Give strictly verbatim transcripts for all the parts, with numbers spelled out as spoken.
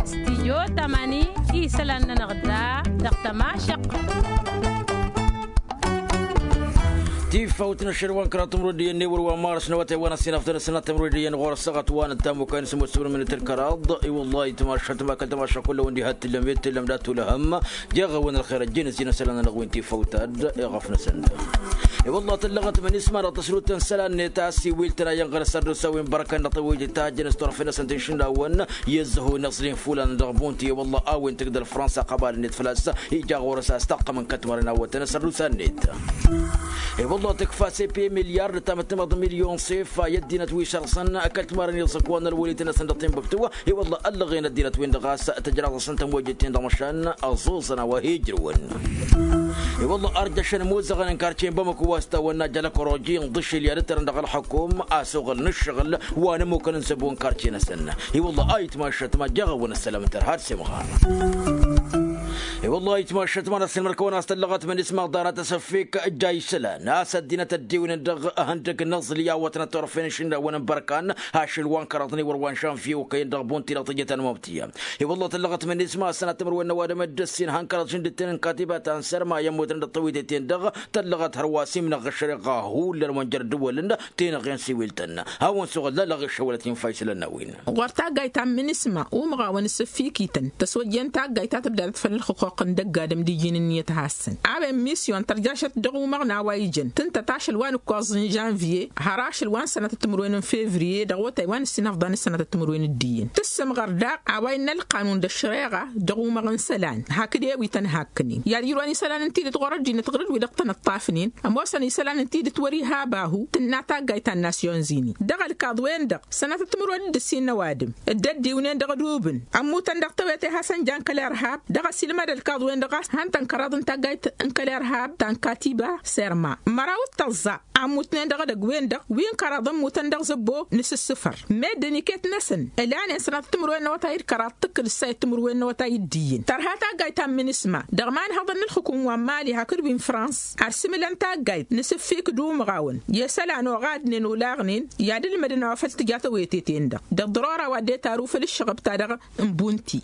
Stijyo tamani isălan-nănăɣ da dăɣ-tămašăq. Tifawt n-ašăl wa n-kăraḍ timrudiyăn n-ewăr wa n-mars n-awătay wa n-ăssinafḍăn ăssinat timrudiyăn ɣur-ăssaɣăt wa n-ăttamukay n-sămut sămut minit n-kăraḍ. I-wăllah itmašat ma kăl-tămašăq kull-awăn diha t-tǝllăm i-t-tǝllăm dat-ulăhăm. Jeɣ-awăn ălxer ăjjeen ăzzin isălan-nănăɣ wi n-tifawt ad-iɣăf-năsăn. I-wăllah tăllăɣăt mănisma dăɣ-tăsrut n-isălan-net a-s iwil-tăn a iyyăn ɣăr-s ad-dd-osawin bărkăn dăɣ-tawăyjăt ta ăjjăn s-turăfen-năsăn tinšǝndawăn i-ăzzăhu n-iẓlin fulan dăɣ-bunti. I-wăllah a-wen tǝgdăl fransa ăqbal-net făl-a-s ija ɣur-s a-s taqqăm n-kătmărăn a wătăn asărrus-net. I-wăllah tǝkfa sepe milyar d-tamăttămăḍ milyon sefa i-ăddinăt wi šărẓăn kătmărăn iẓǝkwan n-ălwălit-năsăn dăɣ-tinbǝktu. I-wăllah ăllăɣen ăddinăt-win-dăɣ a-s tǝjraḍ-asăn tămwăjjăt-ten dăɣ-măšan ăẓuẓăn a-wa hi-ǝjrǝwăn. I-wălla arjăšăn imuzăɣăn n-karce n-bamăko wa s-tawănna jălăkroji n-ḍǝšil i-ad-ǝttărăn dăɣ-ălxukum asuɣǝl n-ǝššăɣǝl wa n-ămmukăn n-zăbo n-karce-năsăn. I-wălla a itmašăt ma jeɣ-awăn ăssălam n-tărha d-semɣar. I-wălla a itmašăt ma n-asǝlmăr-kăwăn a-s tăllăɣăt mănisma ḍanat asăffik ǝjja isălan a-s ăddinăt ăddiwnen dăɣ-ihăndăg n-aẓli a wătnăt turăfen n-išǝnnawăn n-bărkan ašăl wa n-kăraḍăn i-wăr wa n-žanvye okăyăn dăɣ-bunti dăɣ-tijăt ănmăbtǝyya. I-wălla tăllăɣăt mănisma a-s sănatămăr wen n-ăwadǝm d-ǝssin han kăraḍ žǝndǝt-ten n-katiba ta n-sărma i-ămmutăn dăɣ-tăwităt-en-dăɣ tăllăɣăt hărwa s-imnăɣ ăššăreɣa hullan wa n-jăr dd-wălăn tenăɣen s-iwil-tăn. Hawăn-suɣǝl lălăɣ iššăwălăt infa isălan n-a-wen. Ɣur-tagga ittam n-isma umɣawăn s-ǝffikităn tăswăjjen tagga itatăbdadăt făll-ălxuqq n-dăgg-adǝm d-ijin ǝnniyăt hassăn a-wen misyon tărjašăt dăɣ-umăɣna wa ijăn tǝntăt ašăl wa n-ǝkkoẓ n-žanvye har ašăl wa n-sănatăt timǝrwen n-fevriye dăɣ-awătay wa n-ǝssin afḍan n-sănatăt timǝrwen d-iyyăn tǝssǝmɣăr daɣ a-wa innă ălqanun d-ăššăreɣa dăɣ-umăɣ n-isălan hakd ewităn hakkănen i-ad-ijrăwăn isălan n-tidǝt ɣur-ăddinăt ɣur-dd wi-dăɣ tăn-ǝṭṭafnen ămoosăn isălan n-tidǝt wăr-iha abahu tǝnna taggayt ta n-nasyon zini dăɣ-ălkaḍ-wen-dăɣ sănatăt timǝrwen d-ǝssin n-ăwadǝm dd-ăddiwnen dăɣ-ădubǝn ămmutăn dăɣ-tewete hasăn-jan kăl-irhab dăɣ-ăsilmăd ălkaḍ-wen-dăɣ a-s han-tăn kăraḍ n-taggayt n-kăl-irhab ta n-katiba serma măraw d-tăẓẓa ămmutnen dăɣ-edăgg-wen-dăɣ wi n-kăraḍ ămmutăn dăɣ-zăbbo n-asǝssǝfăr meddǝn iket-năsăn ǝlanen sănatăt timǝrwen n-awătay d-kăraḍ tǝkkǝd ǝssayăt timǝrwen n-awătay d-iyyăn tărha taggayt ta n-minisma dăɣ-imanhăḍăn n-ǝlxǝkum wa n-mali hakd wi n-frans ărsǝmǝlăn taggayt n-asǝffik d-umɣawăn i-isălan oɣadnen olaɣnen i-ad-ǝlmădăn a-wa făl tǝja tawete-ten-dăɣ d-ăḍḍărora wa dd-e-taru făll-ǝššăɣăb-ta-dăɣ n-bunti.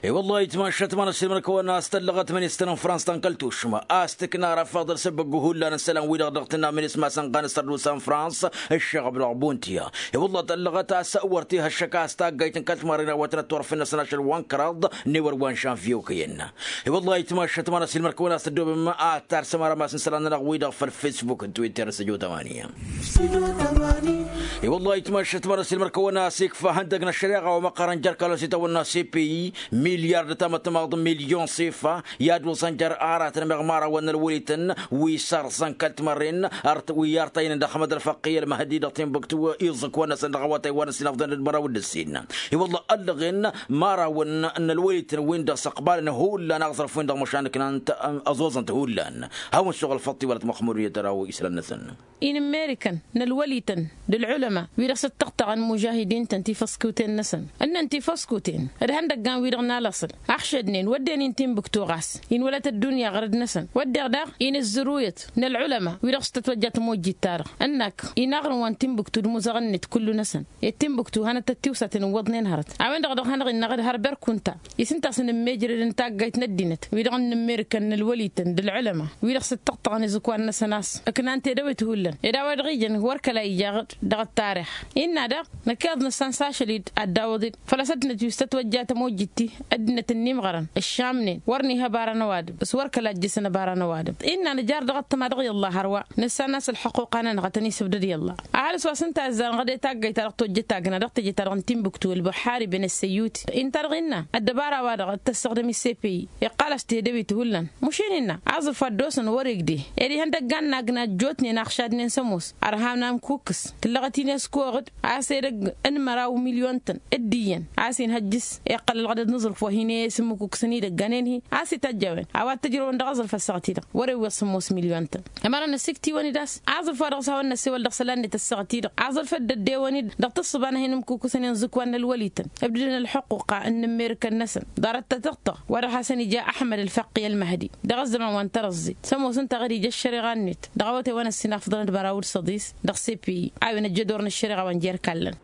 I-wăllah itmašăt ma n-ăssiilmăr-kăwăn a-s tăllăɣăt mănistăn n-frans ta n-kăl-tušma a-s tǝkna răfaḍăl s-ăbbăggu hullan n-isălan-wi-dăɣ dăɣ-tǝnna mănisma sănɣan s-tărdusa n-frans ǝššăɣăb dăɣ-buntiya. I-wăllah tăllăɣăt a-s wăr t-iha ăššăk a-s taggayt n-kăl-timarren a wătnăt turăfen-năsăn ašăl wa n-kăraḍ n-ewăr wa n-žanvye okăyăn. I-wăllah itmašăt ma n-ăssiilmăr-kăwăn a-s tăddoobem ad-tarsăm arămas n-isălan-nănăɣ-wi-dăɣ făll-facebook n-twitter s-ăjo tamaniya. I-wăllah itmašăt ma n-ăssiilmăr-kăwăn a-s ikfa ihăndăg n-ăššăreɣa wa măqqărăn jer-kălos itawănna cpi milyar d-tamăttămaḍ milyon sifa i-ad-wăẓăn jer-aratăn meɣ imărawăn n-ălwălităn wi sărẓăn kăl-timărren wi artăynăn dăɣ-hămăd ălfăqqi ălmăhdi dăɣ-tinbǝktu iẓǝk-wăn-năsăn dăɣ-awătay wa n-ăssinăfḍăn d-măraw d-ǝssin. I-wăllah ăllăɣen mărawăn n-ălwălităn-win-dăɣ s-ăqbalăn hullan aẓrǝf-win-dăɣ măšan ǝknant ăẓoẓăn-t hullan. Hawăn-suɣ ălfăṭṭ iwălăt măxmud i-tăraw islan-năsăn. Inǝmmerikăn n-ălwălităn d-ălɣulăma wi-dăɣ s-ǝttăɣtăɣăn mužahidin-tăn tifăskuten-năsăn ǝnnăn tifăskuten d-ihăndăggan wi-dăɣ n-alăṣăl ăxšădnen wădden-in tinbǝktu ɣas inwălăt ăddunya ɣărăd-năsăn wădden daɣ inǝzzăruyăt n-ălɣulăma wi-dăɣ s-tătwăjja tămojjit-ta-dăɣ ǝnnak inaɣrǝn wa n-tinbǝktu d-imuzăɣăn-net kullu-năsăn i-tinbǝktu hanăt-tăt-tiwsaten ǝwwăḍnen hărăt a-wen-dăɣ dăɣ-hanăɣ-innăɣ d-har berkunta. Isǝnta a-s inǝmmeejrăd n-taggayt n-ăddinăt wi-dăɣ n-inǝmmerikăn n-ălwălităn d-ălɣulăma wi-dăɣ s-ǝttăɣtăɣăn izǝkwan-năsăn a-s ǝknan tedăwit hullan ed a-wa dăɣ-ijăn wăr kăla ija dăɣ-ăttarix. Innă daɣ năkk iḍnǝssan s-ašăl-i d-ad-dawăḍ-dd făl-a-s ăddinăt wi s-tătwăjja tămojjit-i ăddinăt ǝnnimɣărăn ǝššamnen wăr n-iha ăbara n-ăwadǝm s-wăr kăla ăjjǝsăn ăbara n-ăwadǝm. Innă nǝjar dăɣ-ăṭṭăma dăɣ-i ălla hărwa nǝssan a-s ălxăquqa-nănăɣ a tăn-isǝbdăd i-ălla. Ăhalǝs wa s-ǝnta a ǝzzarăn ɣăd i-taggayt-ta-dăɣ tojjăt agna dăɣ-teje-ta-dăɣ n-tinbǝktu ălbuḥari ben ăssăyyuti ǝnta-dăɣ innă ăddăbara-wa-dăɣ d-tăssăɣdăm i-sepeyi iqqal-as tedăwit hullan măšin innă aẓǝf wa dd-osăn wăr-igde ed ihăndăggan n-agna ăjjootnen a ăɣšadnen s-ămoos ărham n-amkukkǝs tǝllăɣăt-in i-ăskoɣǝd a-s edăgg n-măraw milyon-tăn d-iyyăn a-s inhăjjǝs iqqăl ălɣădăd n-aẓrǝf wa hin-e-s ǝmmǝkukkǝsăn idăggan enhi a-s ităjj a-wen a-wa t-ǝjrăwăn dăɣ-aẓrǝf ăssaɣăt-i-dăɣ wăr-ewweḍ sămoos milyon-tăn. Ămărăn ăsiktiwăn-dd a-s aẓrǝf wa dăɣ-s hawăn-năss ewăl dăɣ-isălan-net ăssaɣăt-i-dăɣ aẓrǝf dd-ăddewăn-dd dăɣ-tǝssǝba n-ad-hin-ǝmmǝkukkǝsăn inǝzzǝkwan n-ălwălităn ǝbdǝdăn ălxuqquqa n-inǝmmerǝkăn-năsăn ḍarăt tătiɣtăɣ wa dăɣ-hasăn-ija ăḥmăd ălfăqqi ălmăhdi dăɣ-ăzzăman wa n-tărăẓẓit s-ămoos ǝnta a ɣǝd ija ăššăreɣa-net dăɣ-awătay wa n-ăssinafḍăn d-măraw d-săḍis dăɣ-sepeyi. Wen ăjjădor n-ăššăreɣa wa n-jer-kallăn.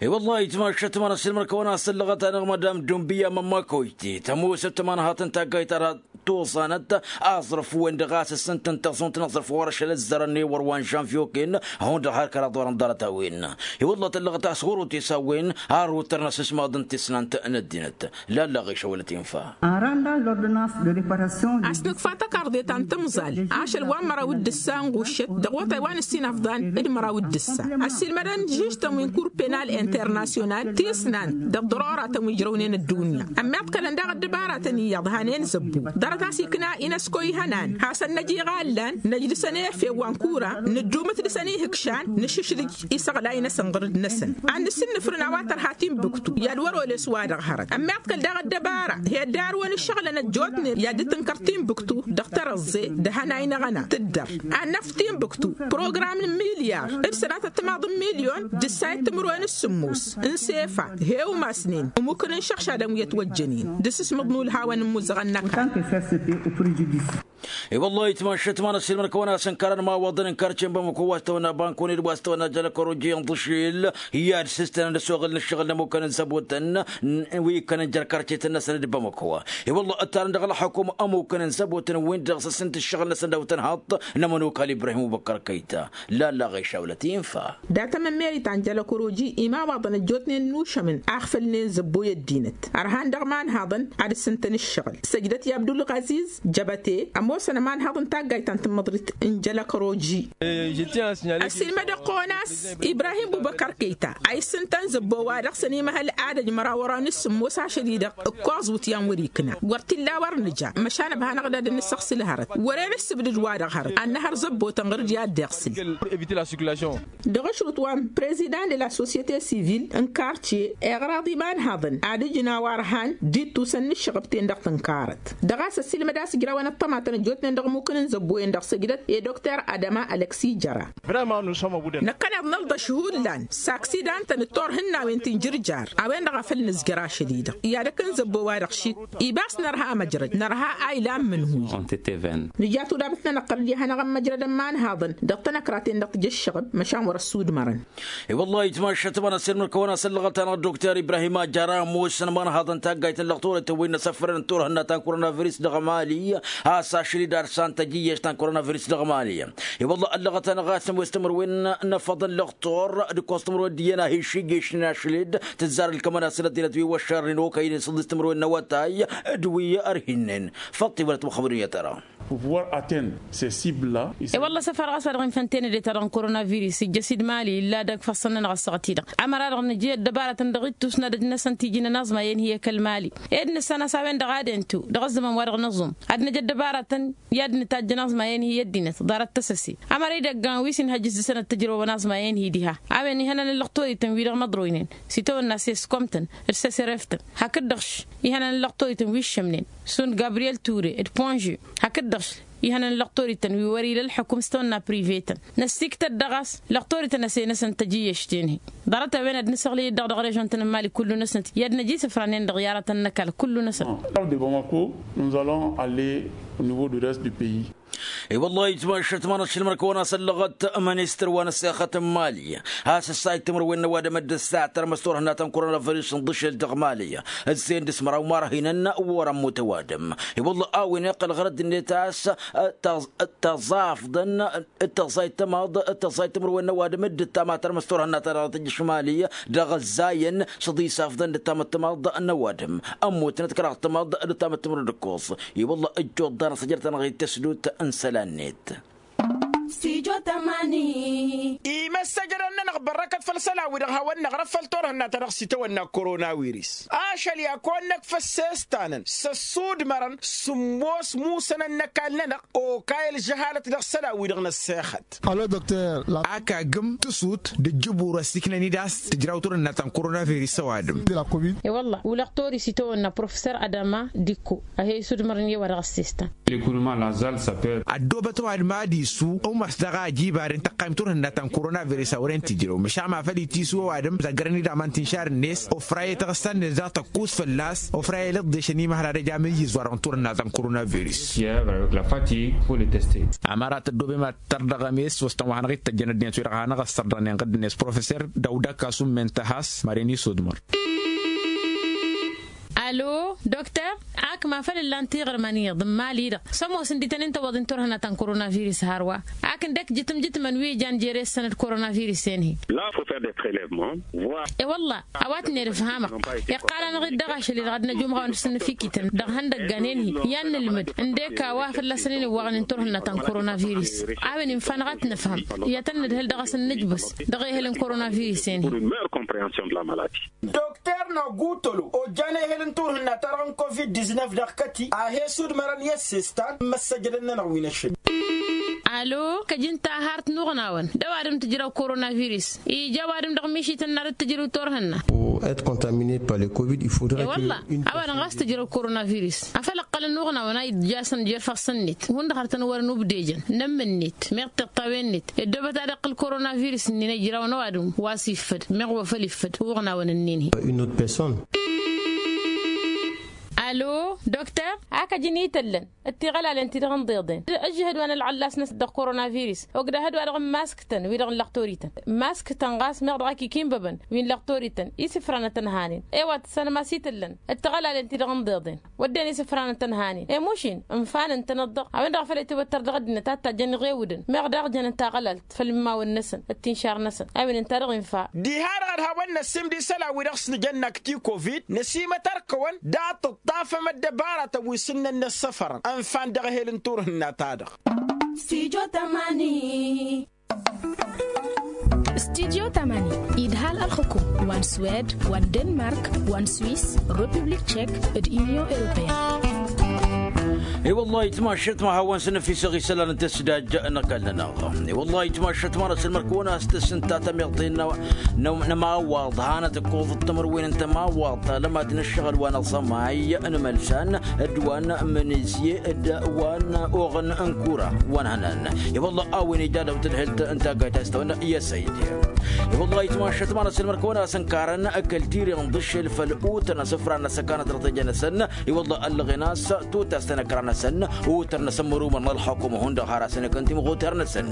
I-wăllah itmašăt ma n-ăsilmăr kăwăn-asăllăɣăt-anăɣ madam dumbiya mămma koyte tămoosăt tămanhaḍt n-taggayt ara tuẓanăt aẓrǝf-wen-dăɣ a-s ǝssǝntăn taẓunt n-aẓrǝf wăr-ašăl ăzzărăn i-wăr wa n-žănvyoken. Hundăɣ har kăraḍ wăr-ǝnḍarăt a-wen i-wăllah tăllăɣăt a-s ɣur-otesa a-wen har wăr tărnăs s-maḍăn tisnant n-ăddinăt. Lalla ɣišăwălăt infa. Ăranda lordănas de reparation. A-s nǝkfa tăkarḍe ta n-tǝmẓal ašăl wa n-măraw d-ǝssa n-ɣuššăt dăɣ-otay wa n-ǝssin afḍan d-măraw d-ǝssa. Ăssiilmădăn žǝžtăn wi n-kur penal internasyonal tisnant dăɣ-ḍărora tăn-wi ǝjrăwnen ăddunya. Ămmiḍkălăn daɣ ăddăbaratăn iyyăḍ hanen zăbbu ḍarăt a-s ikna inăsko ihănan hasăn-năj iɣallan năjdǝsăn efew wa n-kura nǝddumǝt dăɣ-săn ihǝkšan nǝšǝšlǝj isăɣlay-năsăn ɣǝrǝd-năsăn. Ad-nǝsǝnnǝfrǝn a-wa tărha timbuktu i-ad-wăr-oles wa dăɣ-hărăt ămmiḍkăl daɣ ăddăbara hi-ăddarwăn ǝššăɣlăn ăjjootnen i-ad-dd-tǝnkăr timbuktu dăɣ-tărăẓẓe d-ehănay-năɣ ăna tǝddăr. Ad-năf timbuktu program n-milyar d-sănatăt timaḍ n-milyon d-ǝssayăt timǝrwen s-sǝmmos n-sefa he-umasnen ămukǝn n-išăɣšadăn wi ătwăjjănen d-asǝsmǝḍ n-ulhawăn n-imuzăɣăn n-ăkall. I-wăllah itmašăt ma n-ăssiilmăr kăwăn-asăn karăn imawaḍăn n-karce n-bamăko wa s-tăwănna bankone d-wa s-tăwănna jălăkăroji n-iḍǝšel i-ad-sǝstănăn d-ăsoɣǝl n-ǝššăɣǝl n-ămukăn n-zăbotăn wi ikkănăn jer-karcetăn-năsăn d-bamăko. I-wăllah ǝttarăn dăɣ-ălxukum ămukăn n-zăbotăn-win-dăɣ s-ǝssǝnt ǝššăɣǝl-năsăn d-awǝtăn haḍt n-ămănokal ibrahim ubăkkăr kăyta. Lalla ɣišawlăt infa. Dat-ămămmeri ta n-jălăkăroji imawaḍăn ăjjootnen n-ušămăn axfălnen zăbboy ăddinăt ărhan dăɣ-imanhaḍăn ad-ǝssǝntăn ǝššăɣǝl săjdăt i-abdulɣaziz jăbăte ămoosăn ămanhaḍ n-taggayt ta n-tǝmmăḍrit n-jălăkăroji. Ăssiilmădăɣ-kăwăn a-s ibrahim bubăkăr kăyta a issǝntăn zăbbo-wa-dăɣ s-ănimăhăl adăj măraw ăran s-sǝmmos ašăl-i-dăɣ ǝkkoẓ wǝtyan wăr-ikna wăr t-illa wăr nǝja măšan ăbhanăɣ-dd ad-nǝsăɣsǝl hărăt wăren ǝssǝbdǝd-wa-dăɣ hărăt ad-nǝhăr zăbbo tănɣăr-dd i-ad-dd-iɣsǝl. Dăɣ-ašrǝt wa n-prezidan de la societe sivil n-kartye iɣraḍ imanhaḍăn ad-ǝjǝn a-wa ărhan d-ittusăn n-ǝššăɣăb-ten-dăɣ tǝnkarăt dăɣ-a-s ăssiilmăd a-s ǝjrawăn ăṭṭămatăn ăjjootnen dăɣ-imukǝn n-zăbbo-en-dăɣ săjdăt i-dokter adăma ălăksi jăra. Năkkăneḍ nălḍăš hullan s-aksidan-tăn d-turhǝnnawen ti n-jǝrjar a-wen-dăɣ a făl nǝzjăr ašăl-i-dăɣ i-ad-ăkk n-zăbbo-wa-dăɣ šit ibas nărha amăjrăd nărha a ilan mǝnhuy. Nǝja tudabǝt-nănăɣ tăr-dd i-ad-hanăɣ-ămmăjrădăn imanhaḍăn dăɣ-tanăkraten-dăɣ tǝjǝššăɣăb măšan wăr-ăssudmărăn. I-wăllah itmašăt ma n-ăssiilmăr kăwăn-asăn lăɣăt-anăɣ dokter ibrahim ajara ămoosăn imanhaḍăn taggayt n-lăɣtoret wi n-asăfrăn n-turhǝnna ta n-koronavirus dăɣ-mali a-s ašăl-i-dd arsantăj iyyăš ta n-koronavirus dăɣ-mali. I-wăllah ăllăɣăt-anăɣ a-s ămoos timǝrwen n-afăḍăn lăɣtor d-ǝkkoẓ timǝrwen d-iyyăn a hi-išijješnen ašăl-dd tǝzzar ǝlkămăn-asăn ăddinăt wi wăššărnen okăynen s-ǝḍḍǝs timǝrwen n-awătay d-wi ărhinnen. Făṭṭi wălăt măxăbădun i-ad-tăra. Pour pouvoir atteindre ces cibles la. I-wălla săfar ɣas wa dăɣ-infăntene de-ta-dăɣ n-koronavirus ijjăs-dd mali illa dăgg-ifassăn-nănăɣ ăssaɣăt-i-dăɣ. Amăra-dăɣ nǝja ăddăbaratăn dăɣ-ittus n-ad-ăj-năsăn tijǝnăn aẓma i-ănhǝy ăkall mali ed nǝssan a-s a-wen-dăɣ ad-entu dăɣ-ăzzăman wa dăɣ-nǝẓum ad-năj ăddăbaratăn i-ad-nǝtajjăn aẓma i-ănhǝy ăddinăt ḍarăt tăsăse. Amăra idăggan wi s-inhăjjǝs dăɣ-săn ăttăjrăwăn aẓma i-ănhǝy diha a-wen ihănan n-lăqtorităn wi-dăɣ măḍroynen s-itawănna s-eskomtăn d-săsereftăn hakd-dăɣ-š ihănan n-lăqtorităn wi ǝššămnen šund gabriyel ture d-ponže hakd-dăɣ-š ihănan n-lăqtorităn wi wăr-ila ălxukǝm s-tawănna privetăn. Năssiktăt dăɣ-a-s lăqtorităn ăsenăsăn tăjǝyyăš tenhǝy ḍarăt-a-wen ad-nǝsăɣlăy-dd dăɣ-režion-tăn n-mali kullu-năsnăt i-ad-năj isǝfranen dăɣ-i aratăn n-ăkall kullu-năsăn. Bamako nous allons aller au niveau du reste du pays. I-wăllah itmašăt ma n-ašăl măr-kăwăn-asăllăɣăt ministăr wa n-ăssexăt n-mali a-s ǝssayǝd timǝrwen n-ăwadǝm d-ǝssa tărmăs turhǝnna ta n-koronavirus n-iḍǝšel dăɣ-mali. Ǝzzeyăn dăɣ-s măraw ma ărhinăn wăr-ămmut ăwadǝm. I-wăllah a-wen iqqăl ɣărăt-net a-s tăẓafḍăn d-tăẓẓayt tămaḍ d-tăẓẓayt timǝrwen n-ăwadǝm d-ǝttamăt tărmăs turhǝnna ta dăɣ-tǝjjǝš mali dăɣ-ǝzzayăn s-ăḍisafḍăn d-ǝttamăt tămaḍ n-ăwadǝm. Ămmutnăt kăraḍ tămaḍ d-ǝttamăt timǝrwen d-ǝkkoẓ. I-wălla ăjjoḍ-anăɣ s-ăjrăt-anăɣ-dd tăsdut n-isălan-net. Imăssăjrăn-nănăɣ bărrăkăt făll-isălan-wi-dăɣ hawăn-năɣrăf făll-turhǝnna-ta-dăɣ s-itawănna koronawiris. Ašăl i-ad-kăwăn-năkf ăssestan-năn s-ăssudmărăn sǝmmos musănăn n-ăkall-nănăɣ okay ălžăhalăt dăɣ-isălan-wi-dăɣ n-ăssexăt. Alo dokter. Akagǝm tǝsut d-ǝjjǝbur ăssiiknăn-dd a-s tǝjraw turhǝnna ta n-koronavirus ăwadǝm. I-wălla ulăɣ toris itawănna profesor adama dikko a he-isudmărăn i-wa dăɣ-ăssestan. Ăddoobăt ăwadǝm ad-isu umas dăɣ-a ăjiba dăɣ-tăqqayǝm turhǝnna ta n-koronavirus a wăren tǝjrăw măšan ma. Ălitisu ăwadǝm zăggărăn-dd aman tinšar-net ofra i-tăɣǝssa-net daɣ tăkkus fălla-s ofra i-lăḍḍešăn imăhra d-ejam iyyǝz wa-dăɣ n-turhǝnna ta n-koronavirus. Amărat ăddoobem ad-tărdăɣăm-es wăstăn wa hanăɣ-ittăjjăn ăddinăt wi-dăɣ hanăɣ-ăssărdăɣnen ɣǝddǝn-es professer dăwda kasu n-mentăhas maren isudmăr. Alo dokter, ak ma făl ǝllan tiɣrǝmăn iyyăḍ n-imali-dăɣ s-ămoosăn d-itănen tăwwăḍen turhǝnna ta n-koronavirus hărwa. Ak ǝndek jǝtǝm jǝtǝmăn wi ǝjan jere ǝssănăd koronavirus-en-hi. E-wălla a-wa t-nerǝfhamăɣ iqqal-anăɣ-dd dăɣ-ašăl-i-dăɣ ad-năjumăɣ a-wa n-ǝssǝnnǝf ikităn dăɣ-ihăndăggan-en-hi i-ad-nǝlmǝd ǝndek a-wa fălla-săn-en iwwăɣnen turhǝnna ta n-koronavirus. A-wen infa-năɣ ad-t-nǝfhăm i-ad-tăn-nǝdhǝl dăɣ-asǝnnǝjbǝs dăɣ-ehăl n-koronavirus-en-hi. Dokter năgutălo ojjan ehăl n-turhǝnna-ta-dăɣ n-covid-diznăf dăɣ-kăti a he-sudmărăn i-ăssestan n-imăssăjădăn-nănăɣ wi n-ăššăl. Alo kăj-ǝnta a har-t n-uɣnawăn d-ăwadǝm tǝjrăw koronavirus ija ăwadǝm dăɣ-mišităn n-ad-dd-tǝjrǝw turhǝnna. Être contaminé par le covid il faudrait e-wălla ăwadǝm ɣas tǝjrăw koronavirus. Afăl ǝqqălăn n-uɣnawăn a ijjasăn jer-făɣ s-ǝnnit hundăɣ har tăn-wărăn ubdejăn n-ămm-net meɣ tiṭṭawen-net ăddoobăt ad-iqqǝl koronavirus-nin ăjrawăn ăwadǝm wa s-iffăd meɣ wa făl iffăd uɣnawăn-nin-hi. Une autre personne. Alo dokter, ak ăj ǝnităllăn d-tiɣălalen-ti-dăɣ ǝnḍeḍen ǝžžǝhăd wa n-ălɣăllas-năsăn dăɣ-koronavirus ogdăhăd-wa-dăɣ n-imask-tăn wi-dăɣ n-lăxtorităn. Imask-tăn ɣas meɣ dăɣ-ak ikinbăbăn wi n-lăxtorităn isǝfranăt ănhanen. E-wa tǝssanăm a-s itǝllăn d-tiɣălalen-ti-dăɣ ǝnḍeḍen wădden isǝfranăt ănhanen i-mušin ǝnfanăn-tănăt-dăɣ a-wen-dăɣ a făl itwăttăr dăɣ-ăddinăt ad-tajjăn iɣewǝdăn meɣ daɣ jănăn taɣălalt făll-imawăn-năsăn d-tinšar-năsăn. A-wen ǝnta-dăɣ infa. Diha-dăɣ ădhawăn-năssim d-isălan-wi-dăɣ s-nǝjănna akti covid năsimăt ărkăwăn dat-ǝṭṭafăm ăddăbaratăn wi s-ǝnnăn năssăfărăn ănfan dăɣ-ehel n-turhǝnna-ta-dăɣ. Studyo tămani. Studyo tămani idhal ălxǝkum wa n-swed wa n-denmark wa n-swis, republik tšek, d-inyon europeyăn. I-wăllah itmašăt ma hawăn-săn ăfisăɣ isălan n-tăsdaj n-ăkall-nănăɣ. I-wăllah itmašăt ma n-asǝlmăr-kăwăn a-s tăsǝnta tămiḍt-in n-ămawaḍ hanăt-ǝkkoḍăt timǝrwen n-tămawaḍt alămat n-ǝššăɣǝl wa n-aẓămay n-imălsan d-wa n-mǝnǝzye d-wa n-oɣăn n-kura wa n-hănan. I-wăllah a-wen ija dăw-tǝdhǝlt n-taggayt a-s tawănna i-asăyd. I-wăllah itmašăt ma n-asǝlmăr-kăwăn a-s ǝnkarăn kăl-tiri n-ḍǝššel făll-utăr n-asǝfran n-asăkanăt dăɣ-tejăn-năsăn. I-wăllah ăllăɣen a-s tutast n-ăkra-năsăn utăr n-asǝmmăr umăr n-ălxukum hundăɣ har asăn ikăn timɣuter-năsăn.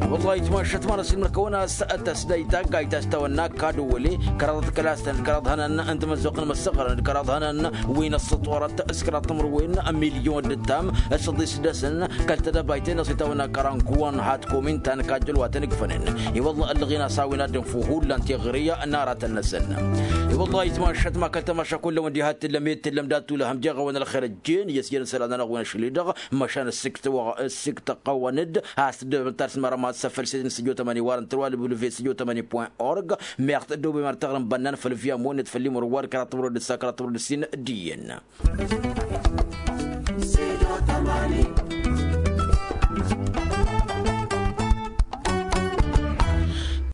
I-wăllah itmašăt ma n-asǝlmăr-kăwăn a-s tăsdăy taggayt a-s tawănna kadwăle kăraḍăt kăla-s tăn-dd kăraḍ hănan n-timǝzzuɣt n-imǝssăɣrăn d-kăraḍ hănan wi n-ăṣṣăṭorăt s-kăraḍ timǝrwen n-milyon d-ǝttam s-ăḍḍis dăɣ-săn kăl-tedăbayt-en-dăɣ s-itawănna kărankǝwăn hat-komin ta n-kajjăl wa tăn-ǝkfănen. I-wăllah ăllăɣen a-s a-wen ad-dd-ǝnfu hullan tiɣri n-aratăn-năsăn. I-wăllah itmašăt ma kăl-tamaša kull-ăwăn diha t-tǝllăm i-t-tǝllăm dat-tulăhăm jeɣ-awăn ălxer ăjjeen i-ăsyăn isălan-anăɣ wi n-ašli-dăɣ măšan ăssiktăɣ-wăn-dd a-s tǝddobem d-tarsǝmara ma s-afăl s-e-s n-studio tămani wa n-tărwa lǝbǝlǝve studio tămani point org. Meɣ tăddobem ar taɣrǝm bănnan făll-via monnet făll-imǝrwar kăraḍ tămrăwăd d-ǝssa kăraḍ tămrăwăd d-ǝssin d-iyyăn.